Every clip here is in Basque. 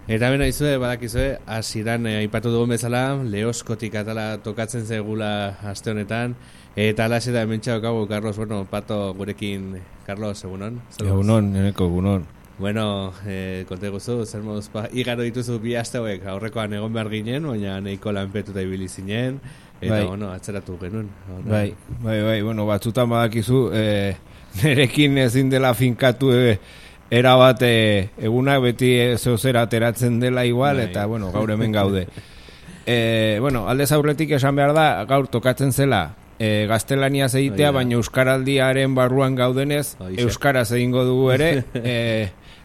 Eta bena izue, badakizue, hasieran aipatu dugun bezala, Leoskotik atala tokatzen zegula aste honetan, eta alaxe da hemen txaukagu, Carlos, bueno, Pato gurekin, Carlos, egunon? Egunon, neneko egunon. Bueno, konte guzu, zer moduz, igaro dituzu bi aste hauek, aurrekoan egon behar ginen, baina nahiko lanpetuta ibili zinen, eta, bueno, atzeratu genuen. Bai, bueno, batzutan badakizu, nerekin ezin dela finkatu erabat egunak beti zeozera ateratzen dela igual, eta, bueno, gaur hemen gaude. Bueno, aldez aurretik esan behar da, gaur tokatzen zela, gaztelaniaz egitea, baina euskaraldiaren barruan gaudenez, euskaraz egingo dugu ere,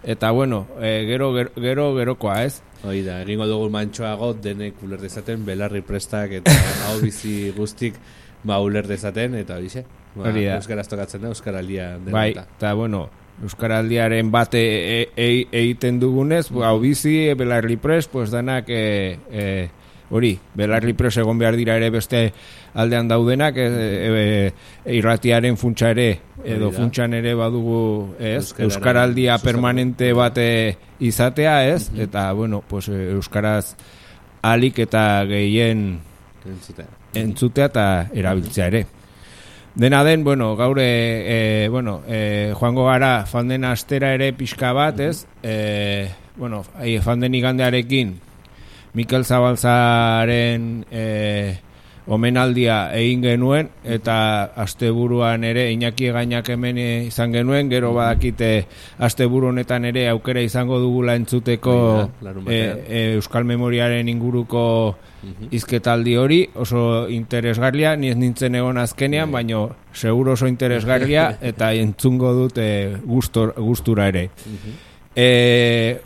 eta, bueno, gerokoa, ez? Hoi da, egingo dugu mantxoago denek uler dezaten, belarri prestak eta hau bizi guztik uler dezaten, eta horixe, euskaraz tokatzen da, euskaraldia dena. Bai, eta, bueno, euskaraldiaren bate egiten dugunez, hau bizi, belarri pres, pues danak hori, belarri pres egon behar dira ere beste aldean daudenak, irratiaren funtsa ere, edo funtsan ere badugu, ez, euskaraldia permanente bate izatea, ez, eta, bueno, pues euskaraz alik eta gehien entzutea eta erabiltzea ere. Dena den, bueno, gaur joango gara fanden astera ere pixka bat, ez? Bueno, fanden igandearekin Mikel Zabalzaren omenaldia egin genuen, eta asteburuan ere Iñaki Egainak hemen izan genuen, gero badakite asteburu honetan ere aukera izango dugula entzuteko Euskal Memoriaren inguruko hizketaldi hori, oso interesgarria, ni ez nintzen egon azkenean, baina seguro oso interesgarria, eta entzungo dut gustura ere.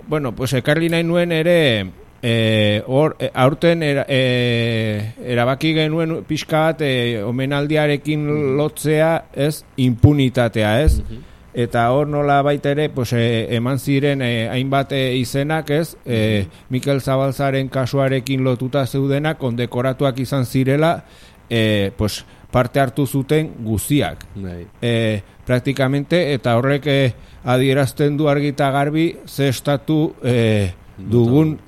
Bueno, pues ekarri nahi nuen ere, aurten erabaki genuen pixka bat omenaldiarekin lotzea, ez, impunitatea, ez? Eta hor nola baita ere, pues, eman ziren hainbat izenak, ez? Mikel Zabalzaren kasuarekin lotuta zeudenak, kondekoratuak izan zirela, pues, parte hartu zuten guztiak. Praktikamente, eta horrek adierazten du argita garbi, ze estatu dugun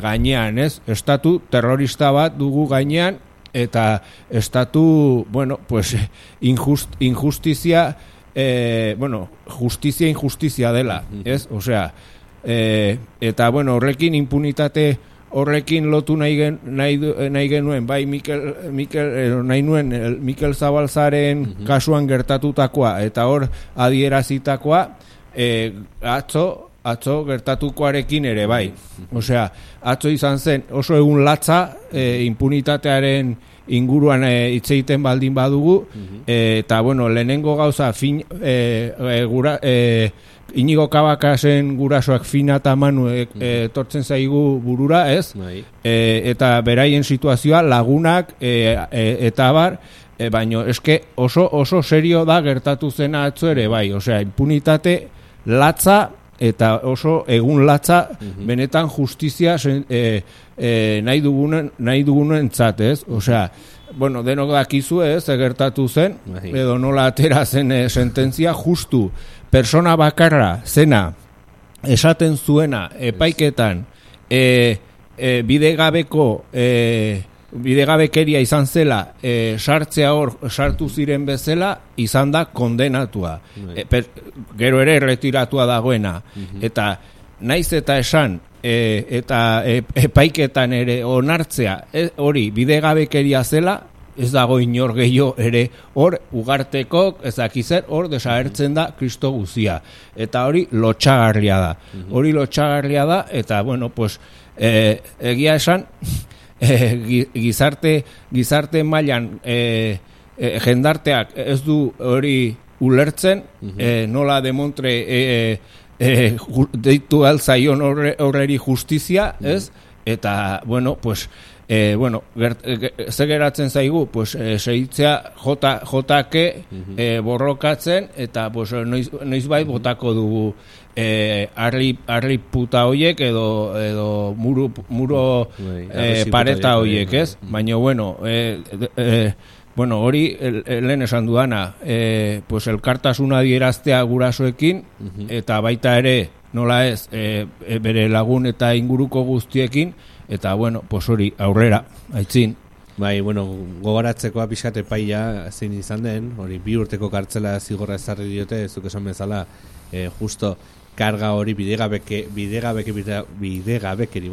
gainean, ez? Estatu terrorista bat dugu gainean, eta estatu, bueno, pues, injustizia, injustizia dela, ez? Osea, eta, bueno, horrekin impunitate horrekin lotu nahi genuen, bai Mikel Zabalzaren kasuan gertatutakoa, eta hor adierazitakoa, atzo gertatukoarekin ere, bai. Osea, atzo izan zen oso egun latza impunitatearen inguruan hitz egiten baldin badugu, eta, bueno, lehenengo gauza Inigo Kabakasen gurasoak Fina eta Manu etortzen zaigu burura, ez? Eta beraien situazioa lagunak eta abar, baina eske oso serio da gertatu zena atzo ere, bai. Osea, impunitate latza, eta oso egun latza, benetan justizia nahi dugunen entzat, ez? Osea, bueno, denok dakizu, ez, gertatu zen, edo nola atera zen sententzia, justu persona bakarra zena esaten zuena epaiketan bidegabekeria izan zela, sartzea hor sartu ziren bezala, izan da kondenatua. Gero ere erretiratua dagoena. Eta naiz eta esan, eta epaiketan ere onartzea, hori bidegabekeria zela, ez dago inor gehiago ere hor ugartekok, ez dakizer, hor desagertzen da Kristo guzia. Eta hori lotxagarria da. Hori lotxagarria da, eta, bueno, pues, egia esan, gizarte mailan jendarteak ez du hori ulertzen, nola demontre deitu altzaion horreri justizia, ez? Eta, bueno, pues, ze geratzen zaigu, pues, segitzea jotake borrokatzen, eta, pues, noizbait botako dugu arri puta hoiek edo muro pareta hoiek, ez? Baina, bueno, hori lehen esan duana, pues, elkartasuna adieraztea gurasoekin, eta baita ere nola ez, bere lagun eta inguruko guztiekin, eta bueno, pues hori, aurrera, aitzin. Bai, bueno, gogoratzekoa pixkat epaia zein izan den, hori 2 urteko kartzela zigorra ezarri diote, zuk esan bezala, justo karga hori bidegabekeri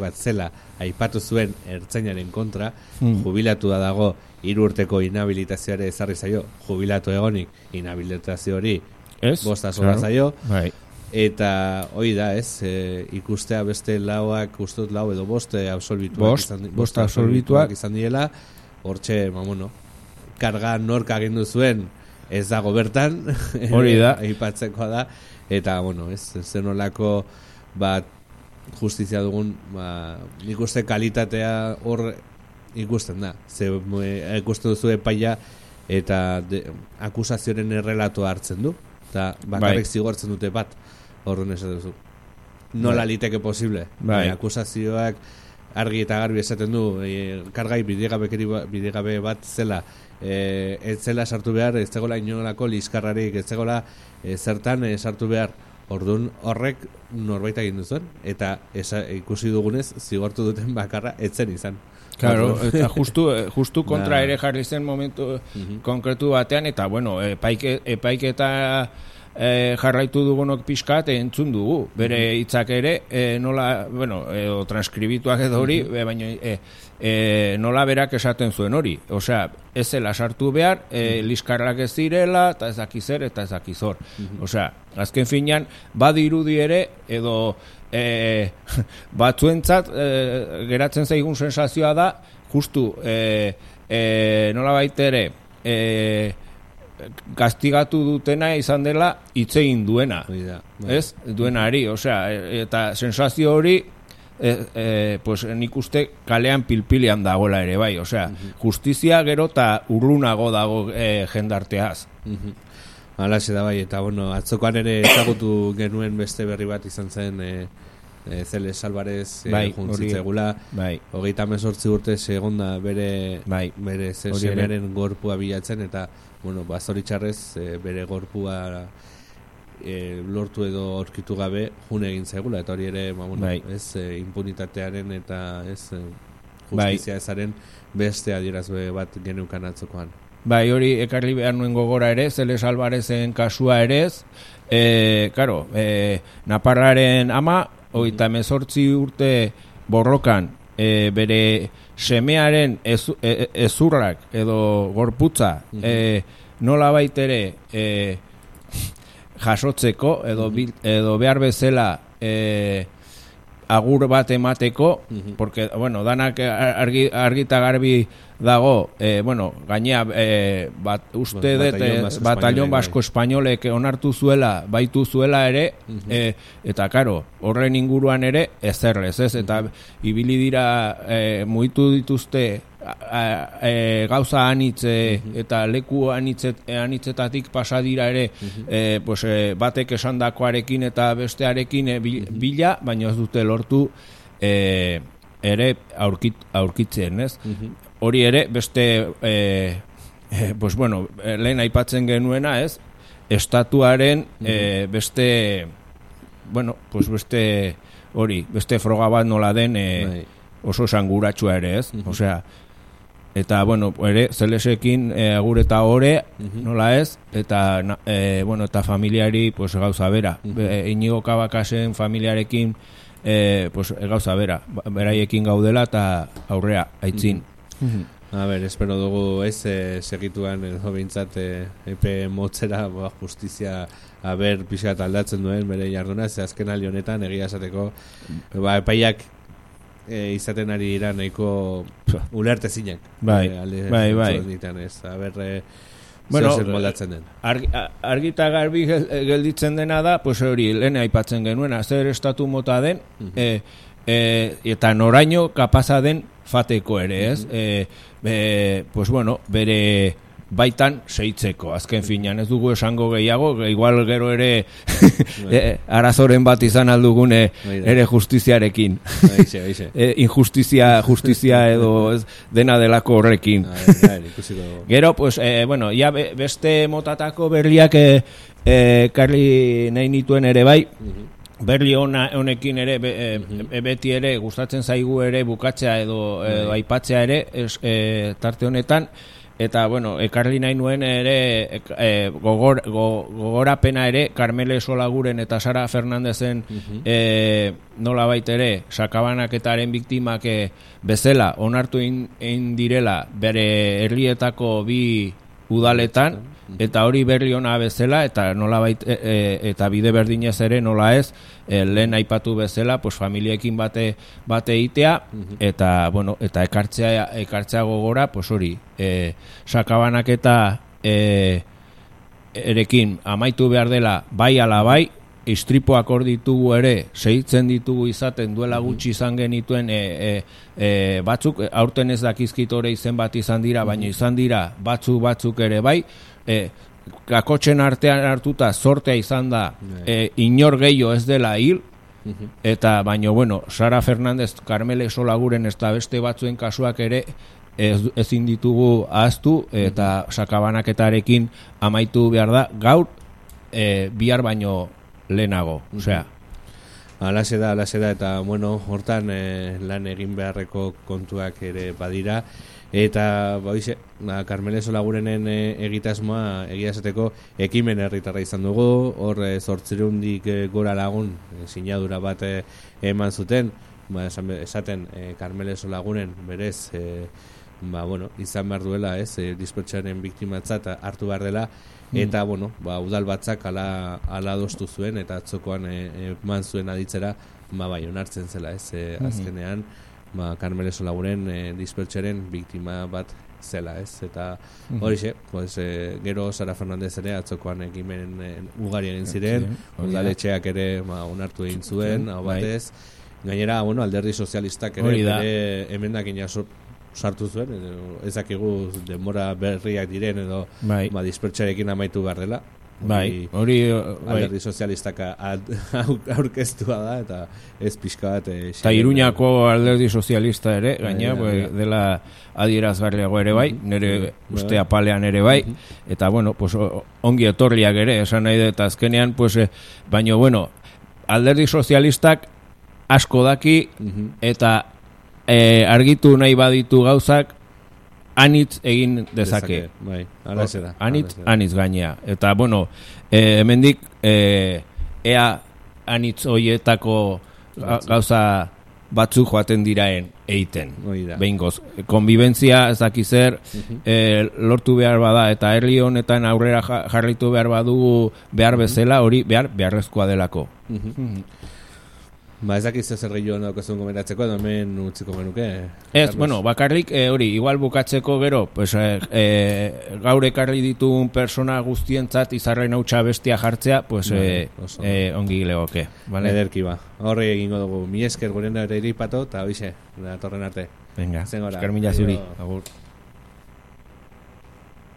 bat zela aipatu zuen ertzainaren kontra, jubilatu dago 3 urteko inhabilitazioare ezarri zaio, jubilatu egonik inhabilitazio hori 5 claro. Zaio, bai. Eta hoi da, ez, ikustea beste lauak, ustut lau edo bost absolbituak izan diela, hortxe, bueno, karga nork agindu zuen ez dago bertan, hori da, aipatzekoa da, eta, bueno, ez, zenolako bat justizia dugun, nik uste kalitatea hor ikusten da, ikusten duzu epaia eta akusazioaren errelatoa hartzen du, eta bakarrik zigortzen dute bat, horren esaten duzu. Nola liteke posible? Akusazioak argi eta garbi esaten du, kargai bidegabe bat zela, ez zela sartu behar, ez zegoela inolako liskarrarik, ez zegoela zertan sartu behar, orduan horrek norbait egin duzuen, eta ikusi dugunez zigortu duten bakarra etzen izan. Claro, eta justu kontra ere jarri zen momentu konkretu batean, eta bueno, epaiketa jarraitu dugunok pixkat entzun dugu, bere hitzak ere nola, bueno, transkribituak edo hori, baina nola berak esaten zuen hori, osea, ez zela sartu behar, liskarrak ez direla, eta ez dakizer, eta ez dakizor, osea, azken finean, badirudi ere, edo batzuentzat geratzen zaigun sensazioa da, justu nola baitere kastigatu dutena izan dela hitz egin duena, ez? Duenari, osea, eta sensazio hori pues nik uste kalean pilpilean dagoela ere bai, osea, justizia gero eta urrunago dago jendarteaz. Halaxe da bai, eta bueno, atzokoan ere ezagutu genuen beste berri bat izan zen Zeles Alvarez juntzitzegula, 38 urte segonda bere semearen gorpua bilatzen, eta bueno, zoritxarrez bere gorpua lortu edo aurkitu gabe june egin zaigula, eta hori ere ez impunitatearen eta ez justizia ezaren beste adierazbe bat geneukan atzokoan. Bai, hori ekarri behar nuen gogora ere, Zeles Alvarezen kasua ere ez, karo, Naparraren ama, 38 urte borrokan, bere semearen ezurrak edo gorputza nola baitere jasotzeko edo behar bezala agur bat emateko, porque, bueno, danak argita garbi dago, bueno, gainea uste dut batallon basko espainolek onartu zuela, baitu zuela ere, eta karo, horren inguruan ere ezerrez, ez, eta ibili dira mugitu dituzte gauza anitze eta leku anitzetatik pasa dira ere pues, batek esandakoarekin eta bestearekin bila, baina ez dute lortu ere aurkitzen, ez? Hori ere beste pues bueno, lehen aipatzen genuena, ez? Estatuaren beste bueno, pues beste hori, beste froga bat nola den oso esanguratsua ere, ez? Osea, eta, bueno, ere, Zelesekin agur eta ore, nola ez, eta, bueno, eta familiari, pues, gauza bera. Inigo Kabakasen familiarekin, pues, gauza bera. Beraiekin gaudela eta aurrea, aitzin. A ber, espero dugu ez segituan edo bintzat epe motzera justizia aber pixat aldatzen duen bere jarduna, ze azken aldi honetan egia esateko epaiak izaten ari dira nahiko ulerte zinak. Bai. A ber, bueno, zer moldatzen den. Argita garbi gelditzen dena da, pues hori, lehen aipatzen genuena, zer estatu mota den, eta noraino kapaza den fateko ere, ez? Pues bueno, bere baitan seitzeko, azken finean ez dugu esango gehiago, igual gero ere arazoren bat izan aldugune ere justiziarekin. Justizia edo ez, dena delako horrekin. Gero, pues, bueno, ya beste motatako berriak karri nahi nituen ere bai, berri honekin ere beti ere gustatzen zaigu ere bukatzea edo aipatzea ere tarte honetan. Eta, bueno, ekarri nahi nuen ere gogorapena ere Karmele Solaguren eta Sara Fernandezen nolabait ere sakabanaketaren biktimak bezala onartu egin direla bere herrietako bi udaletan, eta hori berri ona bezala, eta nolabait eta bide berdinez ere nola ez, lehen aipatu bezala, pues familiekin bate egitea, eta bueno, eta ekartzea gogora, pues hori, sakabanaketa erekin amaitu behar dela bai ala bai, istripoak hor ditugu ere, segitzen ditugu izaten duela gutxi izan genituen batzuk, aurten ez dakizkit ore izen bat izan dira, baina izan dira batzuk ere bai, kakotxen artean hartuta sortea izan da inor gehiago ez dela hil, eta baino bueno, Sara Fernandez, Karmele Solaguren eta beste batzuen kasuak ere ezin ditugu ahaztu, eta sakabanaketarekin amaitu behar da gaur, bihar baino lehenago, osea. Alaxe da, eta bueno, hortan lan egin beharreko kontuak ere badira, eta Karmele Solagurenen egitasmoa egia esateko ekimen herritarra izan dugu, hor 800 gora lagun sinadura bat eman zuten, esaten Karmele Solaguren berez izan behar duela, dispertsaren biktimatzat hartu behar dela, eta bueno, udal batzak ala adostu zuen, eta atzokoan eman zuen aditzera, onartzen zela, azkenean Karmele Solaguren dispertsaren biktima bat zela, eta horixe, gero Sara Fernandez ere atzokoan ekimen ugari egin ziren, udaletxeak ere onartu egin zuen, hau batez, gainera, alderdi sozialistak ere emendakin sartu zuen, ezakigu denbora berriak diren edo dispertsarekin amaitu behar dela. Alderdi sozialistak aurkeztua da, eta ez pixka bat eta Iruñako alderdi sozialista ere gaina dela adierazgarriago ere bai, nire uste apalean ere bai, eta bueno, pues ongi etorriak ere esan nahi dut azkenean, pues baina bueno, alderdi sozialistak asko daki, eta argitu nahi baditu gauzak anitz egin dezake. Anitz gainea. Eta, bueno, hemendik ea anitz hoietako gauza batzuk joaten diraen eiten. Behingoz, konbibentzia ez dakizer lortu behar bada, eta herri honetan aurrera jarritu behar badugu behar bezala, hori beharrezkoa delako. Ez dakiz zer gehiago naukazun komentatzeko, edo hemen utziko menuke. Ez, bueno, bakarrik hori, igual bukatzeko gero, pues, gaur ekarri ditun persona guztientzat izarren hautsa bestia jartzea, pues, ongi legoke. Ederki ba. Horri egingo dugu, mi esker guren ere iripato, eta hoize, datorren arte. Venga, esker mila zuri. Agur.